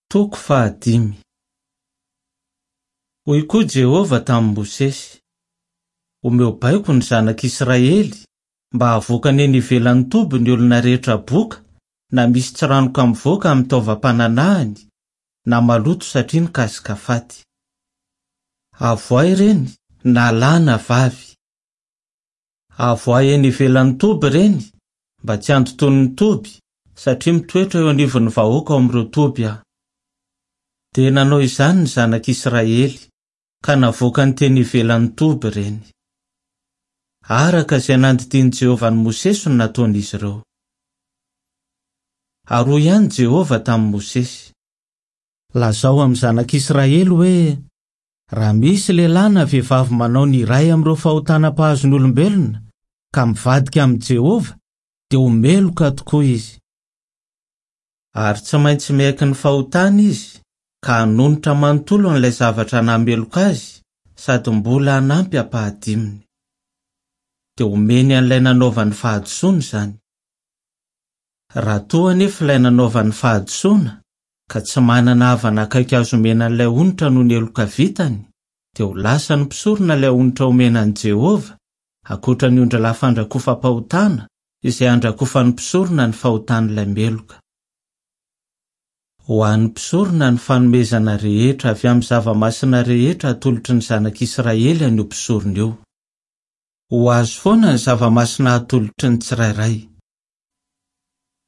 Toko fahadimy. Hoy koa Jehovah tamin'i Mosesy, Omeo baiko ny zanak'Israely mba havoakany eny ivelan'ny toby ny olona rehetra boka na misy tsiranoka mivoaka amin'ny taovam-pananahany na maloto satria nikasika faty. Avoahy ireny na lahy na vavy. Avoahy eny ivelan'ny toby ireny mba tsy handotoany ny toby satria mitoetra eo anivon'ny vahoaka ao amin'ireo toby aho. Dia nanao izany ny zanak'Israely, ka navoakany teny ivelan'ny toby ireny. Araka izay nandidian'i Jehovah an'i Mosesy no nataon'izy ireo. Ary hoy ihany Jehovah tamin'i Mosesy. Lazao amin'ny zanak'Israely hoe, 'Raha misy lehilahy na vehivavy manao ny iray amin'ireo fahotana mpahazo ny olombelona, ka mivadika amin'i Jehovah, dia ho meloka tokoa izy. Ary tsy maintsy miaiky ny fahotany izy, ka hanonitra manontolo an'ilay zavatra nahameloka azy sady mbola hanampy ampahadiminy. Dia homeny an'ilay nanaovany fahadisoana izany. Raha toa anefa ilay nanaovany fahadisoana ka tsy manana havana akaiky azo omena an'ilay onitra noho ny heloka vitany, dia ho lasan'ny mpisorona ilay onitra omena an'i Jehovah, ankoatra ny ondrilahy fandrakofam-pahotana izay handrakofan'ny mpisorona ny fahotan'ilay meloka. Ho an'ny mpisorona ny fanomezana rehetra avy amin'ny zava-masina rehetra atolotry ny zanak'Israely an'io mpisorona io. Ho azy foana ny zava-masina atolotry ny tsirairay.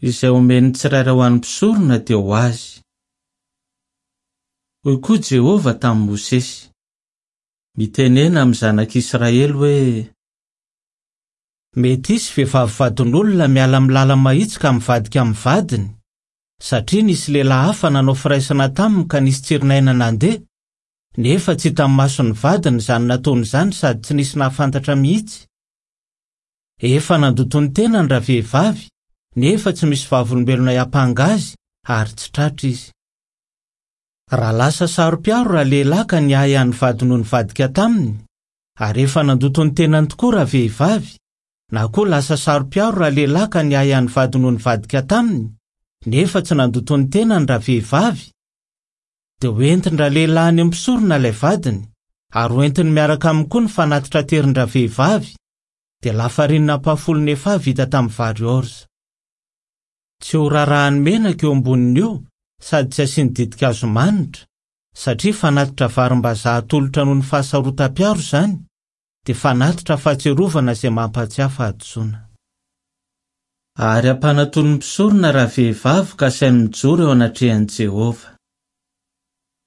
Izay omen'ny tsirairay ho an'ny mpisorona dia ho azy. Hoy koa Jehovah tamin'i Mosesy, Mitenena amin'ny zanak'Israely hoe, Mety hisy vehivavy vadin'olona miala amin'ny lala-mahitsy ka mivadika amin'ny vadiny, satria nisy lehilahy hafa nanao firaisana taminy ka nisy tsirin'aina nandeha, nefa tsy hitan'ny mason'ny vadiny izany nataony izany sady tsy nisy nahafantatra mihitsy. Efa nandoto ny tenany ravehivavy, nefa tsy misy vavolombelona hiampanga azy ary tsy tratra izy. Raha lasa saro-piaro ralehilahy ka niahy an'ny vadiny ho nivadika taminy, ary efa nandoto ny tenany tokoa ravehivavy, na koa lasa saro-piaro ralehilahy ka niahy an'ny vadiny ho nivadika taminy, nefa tsy nandoto ny tenany ravehivavy, dia hoentin-dralehilahy any amin'ny mpisorona ilay vadiny, ary hoentiny miaraka aminy koa ny fanatitra aterin-dravehivavy, dia lafarinina ampahafolon'ny efaha vita tamin'ny vary orza. Tsy horarahany menaka eo ambonin'io sady tsy asiany ditin-kazo manitra, satria fanatitra varimbazaha atolotra noho ny fahasarotam-piaro izany, dia fanatitra fahatsiarovana izay mampahatsiahy fahadisoana. Ary ampanatonin'ny mpisorona ravehivavy ka asainy mijoro eo anatrehan'i Jehovah.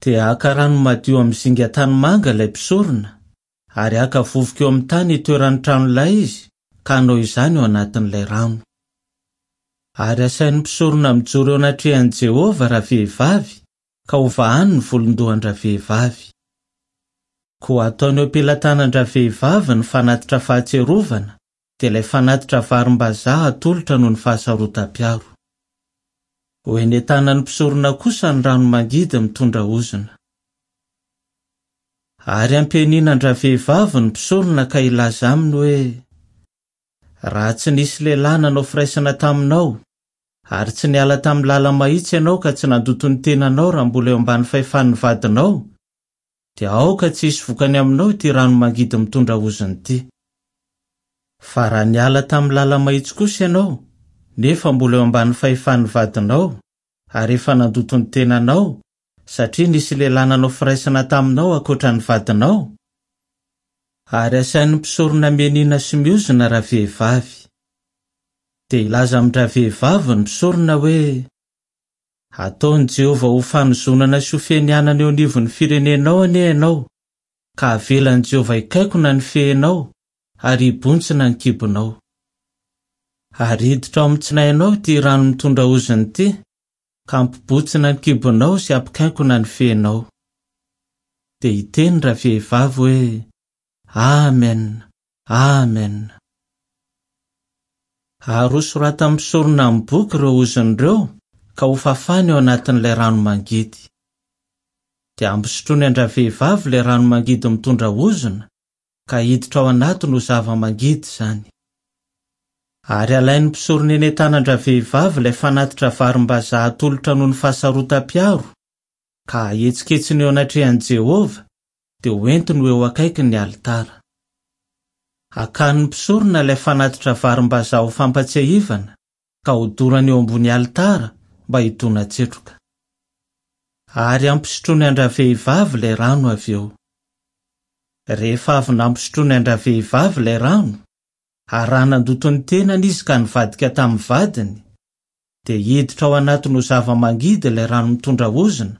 Dia haka rano madio amin'ny zinga tanimanga ilay mpisorona, ary haka vovoka eo amin'ny tany itoeran'ny tranolay izy ka hanao izany eo anatin'ilay rano. Ary asain'ny mpisorona mijoro eo anatrehan'i Jehovah ravehivavy ka hovahany ny volon-dohan-dravehivavy. Koa ataony eo am-pelatanan-dravehivavy ny fanatitra fahatsiarovana, dia ilay fanatitra varimbazaha atolotra noho ny fahasarotam-piaro. Ho eny an-tanan'ny mpisorona kosa ny rano mangidy mitondra ozona. Ary hampianianan-dravehivavy ny mpisorona ka hilaza aminy hoe, Raha tsy nisy lehilahy nanao firaisana taminao, Ary tsy niala tamin'ny lala-mahitsy ianao ka tsy nandoto ny tenanao raha mbola eo ambany fahefan'ny vadinao, dia aoka tsy hisy vokany aminao ity rano mangidy mitondra ozona ity. Fa raha niala tamin'ny lala-mahitsy kosa ianao, nefa mbola eo ambany fahefan'ny vadinao, ary efa nandoto ny tenanao, satria nisy lehilahy nanao firaisana taminao ankoatra ny vadinao, Ary asain'ny mpisorona mianiana sy miozona ravehivavy. Dia hilaza amin-dravehivavy ny mpisorona hoe, Hataon'i Jehovah ho fanozonana sy ho fianianana eo anivon'ny firenenao anie ianao, ka havelan'i Jehovah hikaikona ny fehinao ary hibontsina ny kibonao. Ary hiditra ao amin'ny tsinainao ity rano mitondra ozona ity, ka hampibontsina ny kibonao sy hampikainkona ny fehinao. Dia hiteny ravehivavy hoe, Amen! Amen! Ary hosoratan'ny mpisorona amin'ny boky ireo ozona ireo ka hofafany ao anatin'ilay rano mangidy. Dia hampisotroiny an-dravehivavy ilay rano mangidy mitondra ozona, ka hiditra ao anatiny ho zava-mangidy izany. Ary halain'ny mpisorona eny an-tanan-dravehivavy ilay fanatitra varimbazaha atolotra noho ny fahasarotam-piaro, ka ahetsiketsiny eo anatrehan'i Jehovah, dia hoentiny ho eo akaikin'ny alitara. Hakan'ny mpisorona ilay fanatitra varimbazaha ho fampatsiahivana, ka hodorany eo ambony alitara mba hidona-tsetroka. Ary hampisotroiny an-dravehivavy ilay rano avy eo. Rehefa avy nampisotroiny an-dravehivavy ilay rano, ary raha nandoto ny tenany izy ka nivadika tamin'ny vadiny, dia hiditra ao anatiny ho zava-mangidy ilay rano mitondra ozona,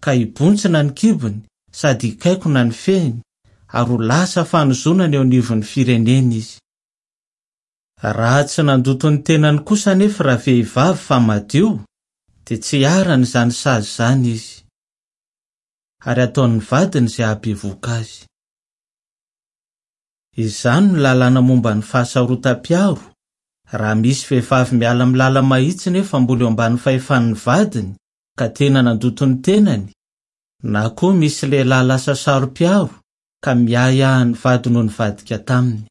ka hibontsina ny kibony sady hikaikona ny fehiny, ary ho lasa fanozonana eo anivon'ny fireneny izy. Raha tsy nandoto ny tenany kosa anefa ravehivavy fa madio, dia tsy iharan'izany sazy izany izy. Ary hataon'ny vadiny izay hahabevohoka azy. Izany no lalàna momba ny fahasarotam-piaro, raha misy vehivavy miala amin'ny lala-mahitsy nefa mbola eo ambany fahefan'ny vadiny ka tena nandoto ny tenany, na koa misy lehilahy lasa saro-piaro ka miahiahy ny vadiny ho nivadika taminy.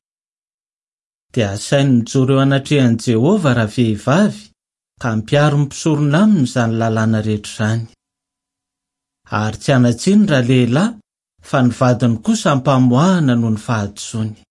Dia asainy mijoro eo anatrehan'i Jehovah ravehivavy ka ampiharin'ny mpisorona aminy izany lalàna rehetra izany. Ary tsy hanan-tsiny ralehilahy fa ny vadiny kosa ampamoahana noho ny fahadisoany.